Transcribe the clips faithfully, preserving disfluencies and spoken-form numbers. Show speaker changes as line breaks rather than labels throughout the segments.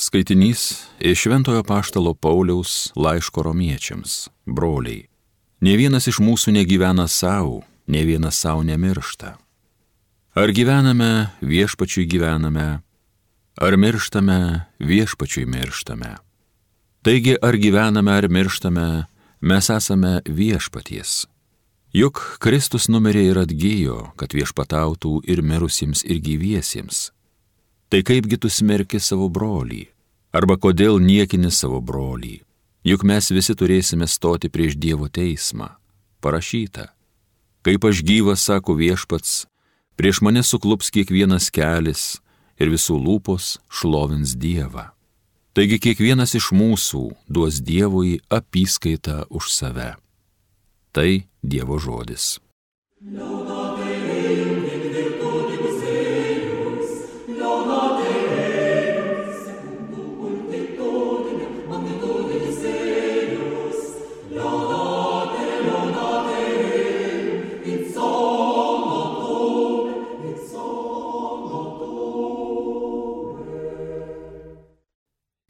Skaitinys iš Šventojo apaštalo Pauliaus laiško romiečiams, broliai. Nė vienas iš mūsų negyvena savo, nė vienas savo nemiršta. Ar gyvename, viešpačiui gyvename, ar mirštame, viešpačiui mirštame. Taigi, ar gyvename, ar mirštame, mes esame viešpaties. Juk Kristus numirė ir atgijo, kad viešpatautų ir mirusiems, ir gyviesiems. Tai kaipgi tu smerki savo brolį, arba kodėl niekini savo brolį, juk mes visi turėsime stoti prieš Dievo teismą. Parašyta, kaip aš gyvas, sako viešpats, prieš mane suklups kiekvienas kelis ir visų lūpos šlovins Dievą. Taigi kiekvienas iš mūsų duos Dievui apyskaitą už save. Tai Dievo žodis.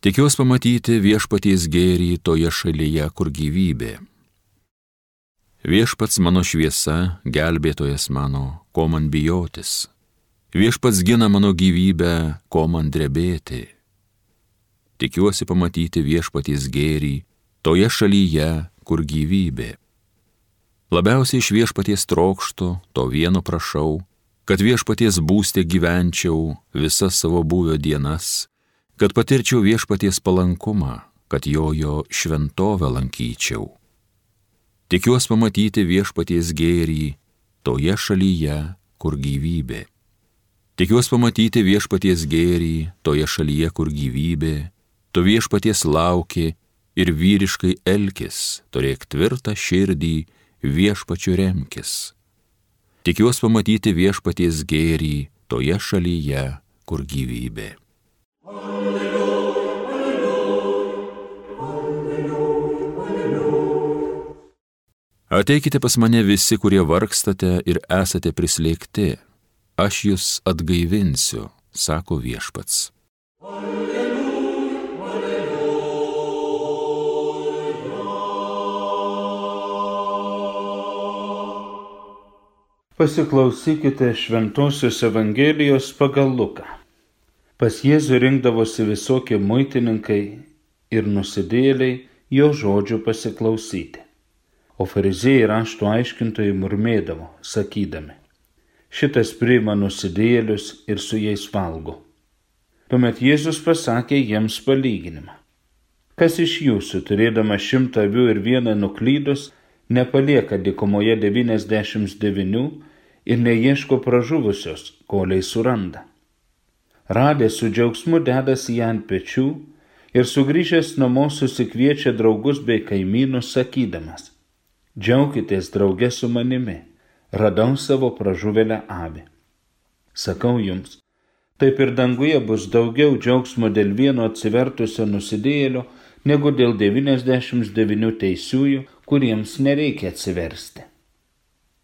Tikiuosi pamatyti viešpaties gėrį toje šalyje, kur gyvybė. Viešpats mano šviesa, gelbėtojas mano, ko man bijotis. Viešpats gina mano gyvybę, ko man drebėti. Tikiuosi pamatyti viešpaties gėrį toje šalyje, kur gyvybė. Labiausiai iš viešpaties trokštu, to vieno prašau, kad viešpaties būste gyvenčiau visas savo buvio dienas, kad patirčiau viešpaties palankumą, kad jojo šventovę lankyčiau. Tikiuosi pamatyti viešpaties gėrį toje šalyje, kur gyvybė. Tikiuosi pamatyti viešpaties gėrį toje šalyje, kur gyvybė. Tu viešpaties lauki ir vyriškai elkis, turėk tvirtą širdį, viešpačiu remkis. Tikiuosi pamatyti viešpaties gėrį toje šalyje, kur gyvybė. Ateikite pas mane visi, kurie vargstate ir esate prislėgti. Aš jūs atgaivinsiu, sako viešpats. Alleluja, alleluja.
Pasiklausykite Šventosios Evangelijos pagal Luką. Pas Jėzų rinkdavosi visokie muitininkai ir nusidėjėliai jo žodžių pasiklausyti. O fariziejai rašto aiškintojai murmėdavo, sakydami, šitas priima nusidėjėlius ir su jais valgo. Tuomet Jėzus pasakė jiems palyginimą. Kas iš jūsų, turėdama šimtą avių ir vieną nuklydus, nepalieka dykumoje devyniasdešimt devynių ir neieško pražuvusios, kolei suranda. Radęs su džiaugsmu dedasi ją ant pečių ir sugrįžęs namo susikviečia draugus bei kaimynus sakydamas, džiaukitės drauge su manimi, radau savo pražuvėlę avį. Sakau jums, taip ir danguje bus daugiau džiaugsmo dėl vieno atsivertusio nusidėjėlio, negu dėl devyniasdešimt devynių teisiųjų, kuriems nereikia atsiversti.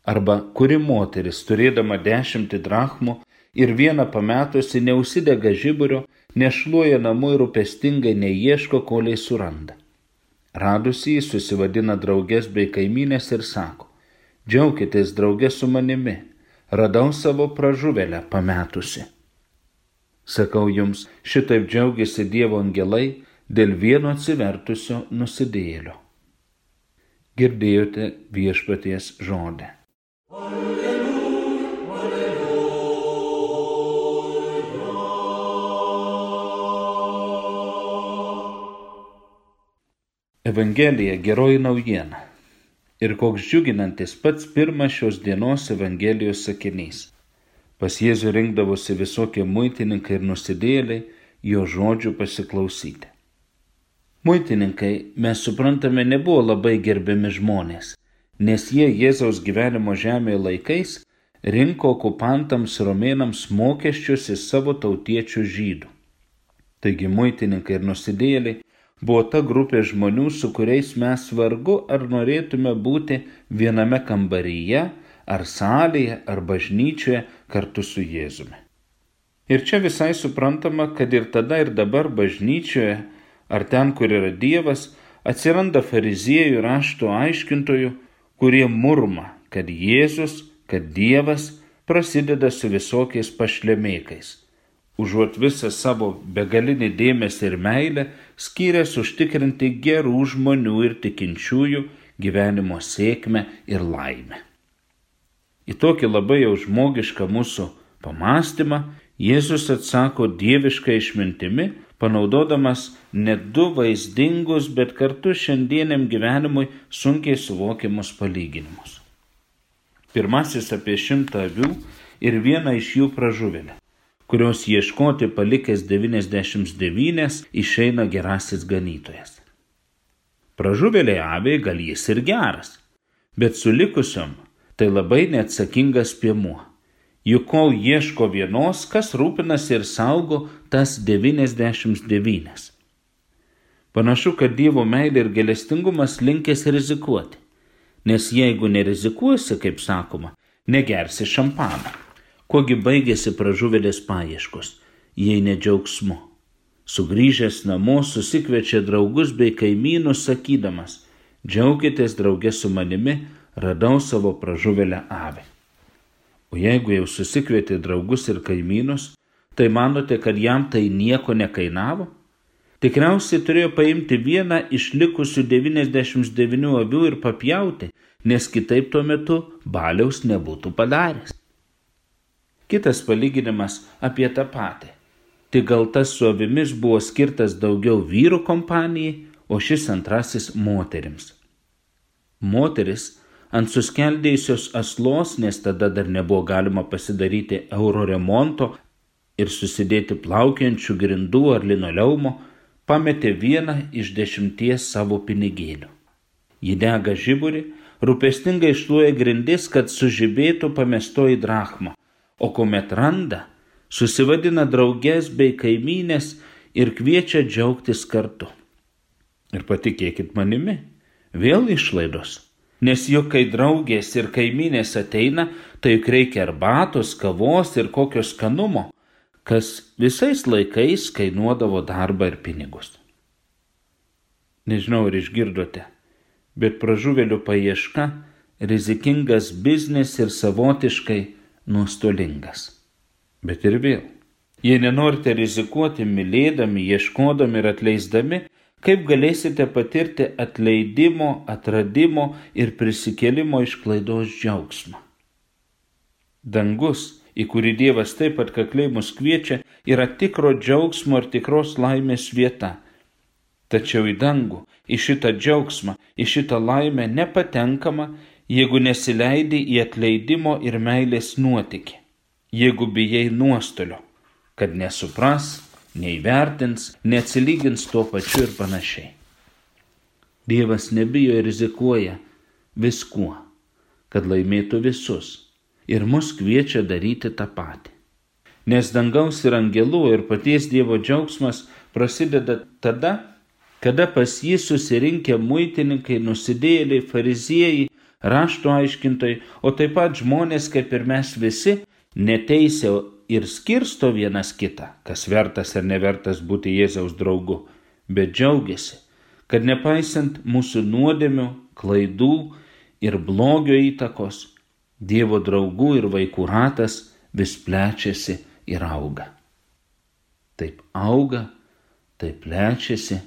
Arba kuri moteris, turėdama dešimtį drachmų ir vieną pametusi, neužsidega žiburio, nešluoja namų ir rūpestingai neieško, kolei suranda. Radusi jį susivadina draugės bei kaimynės ir sako, džiaukitės drauge su manimi, radau savo pražuvėlę pametusi. Sakau jums, šitaip džiaugiasi Dievo angelai dėl vieno atsivertusio nusidėjėlio. Girdėjote viešpaties žodį. Alleluja, alleluja. Evangelija geroji naujiena. Ir koks džiuginantis pats pirmas šios dienos Evangelijos sakinys. Pas Jėzų rinkdavosi visokie muitininkai ir nusidėjėliai jo žodžių pasiklausyti. Muitininkai, mes suprantame, nebuvo labai gerbiami žmonės, nes jie Jėzaus gyvenimo žemėje laikais rinko okupantams romėnams mokesčius iš savo tautiečių žydų. Taigi muitininkai ir nusidėjėliai buvo ta grupė žmonių, su kuriais mes vargu ar norėtume būti viename kambaryje, ar salėje, ar bažnyčioje kartu su Jėzumi. Ir čia visai suprantama, kad ir tada ir dabar bažnyčioje, ar ten, kur yra Dievas, atsiranda fariziejų rašto aiškintojų, kurie murma, kad Jėzus, kad Dievas prasideda su visokiais pašlemėkais, užuot visą savo begalinį dėmesį ir meilę skyręs užtikrinti gerų žmonių ir tikinčiųjų gyvenimo sėkmę ir laimę. Į tokį labai jau žmogišką mūsų pamąstymą Jėzus atsako dievišką išmintimi, panaudodamas ne du vaizdingus, bet kartu šiandieniam gyvenimui sunkiai suvokiamus palyginimus. Pirmasis apie šimtą avių ir vieną iš jų pražuvėlę, kurios ieškoti palikęs devyniasdešimt devynias išeina gerasis ganytojas. Pražuvėliai aviai gal jis ir geras, bet su likusiom tai labai neatsakingas piemuo. Juk kol ieško vienos, kas rūpinasi ir saugo tas devyniasdešimt devynias. Panašu, kad Dievo meilė ir gailestingumas linkęs rizikuoti, nes jeigu nerizikuosi, kaip sakoma, negersi šampaną. Kogi baigėsi pražuvėlės paieškos, jei ne džiaugsmu. Sugrįžęs namo susikviečia draugus bei kaimynus sakydamas: džiaukitės drauge su manimi, radau savo pražuvėlę avį. O jeigu jau susikvietė draugus ir kaimynus, tai manote, kad jam tai nieko nekainavo? Tikriausiai turėjo paimti vieną iš likusių devyniasdešimt devynių avių ir papjauti, nes kitaip tuo metu baliaus nebūtų padaręs. Kitas palyginimas apie tą patį. Tik gal tas su avimis buvo skirtas daugiau vyrų kompanijai, o šis antrasis moterims. Moteris ant suskeldėjusios aslos, nes tada dar nebuvo galima pasidaryti euro remonto ir susidėti plaukiančių grindų ar linoleumo, pametė vieną iš dešimties savo pinigėlių. Ji dega žiburį, rūpestingai šluoja grindis, kad sužibėtų pamestoji drachma, o kuomet randa, susivadina drauges bei kaimynės ir kviečia džiaugtis kartu. Ir patikėkit manimi, vėl išlaidos. Nes juk kai draugės ir kaimynės ateina, tai juk reikia arbatos, kavos ir kokio skanumo, kas visais laikais kainuodavo darbą ir pinigus. Nežinau, ar išgirdote, bet pražuvėlių paieška rizikingas biznis ir savotiškai nuostolingas. Bet ir vėl, jei nenorite rizikuoti mylėdami, ieškodami ir atleisdami, kaip galėsite patirti atleidimo, atradimo ir prisikėlimo iš klaidos džiaugsmą? Dangus, į kurį Dievas taip atkakliai mus kviečia, yra tikro džiaugsmo ir tikros laimės vieta. Tačiau į dangų, į šitą džiaugsmą, į šitą laimę nepatenkama, jeigu nesileidi į atleidimo ir meilės nuotykį, jeigu bijai nuostolio, kad nesupras, neįvertins, neatsilygins tuo pačiu ir panašiai. Dievas nebijo ir rizikuoja viskuo, kad laimėtų visus, ir mus kviečia daryti tą patį. Nes dangaus ir angelų ir paties Dievo džiaugsmas prasideda tada, kada pas jį susirinkę muitininkai, nusidėjėliai, fariziejai, rašto aiškintojai, o taip pat žmonės, kaip ir mes visi, neteisia ir skirsto vienas kitą, kas vertas ar nevertas būti Jėzaus draugu, bet džiaugiasi, kad nepaisant mūsų nuodėmių, klaidų ir blogio įtakos, Dievo draugų ir vaikų ratas vis plečiasi ir auga. Taip auga, taip plečiasi,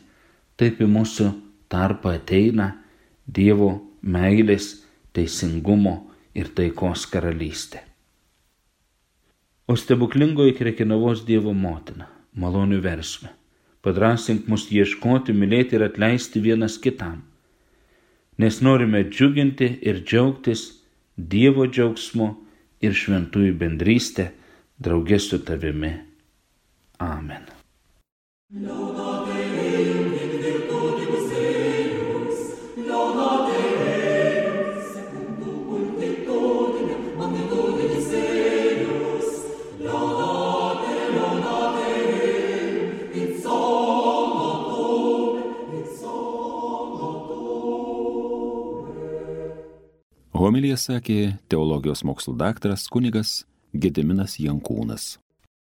taip į mūsų tarpą ateina Dievo meilės, teisingumo ir taikos karalystė. O stebuklingoji Krekenavos Dievo motina, malonių versmė, padrąsink mus ieškoti, mylėti ir atleisti vienas kitam, nes norime džiuginti ir džiaugtis Dievo džiaugsmu ir šventųjų bendrystę drauge su tavimi. Amen.
Homiliją sakė teologijos mokslų daktaras kunigas Gediminas Jankūnas.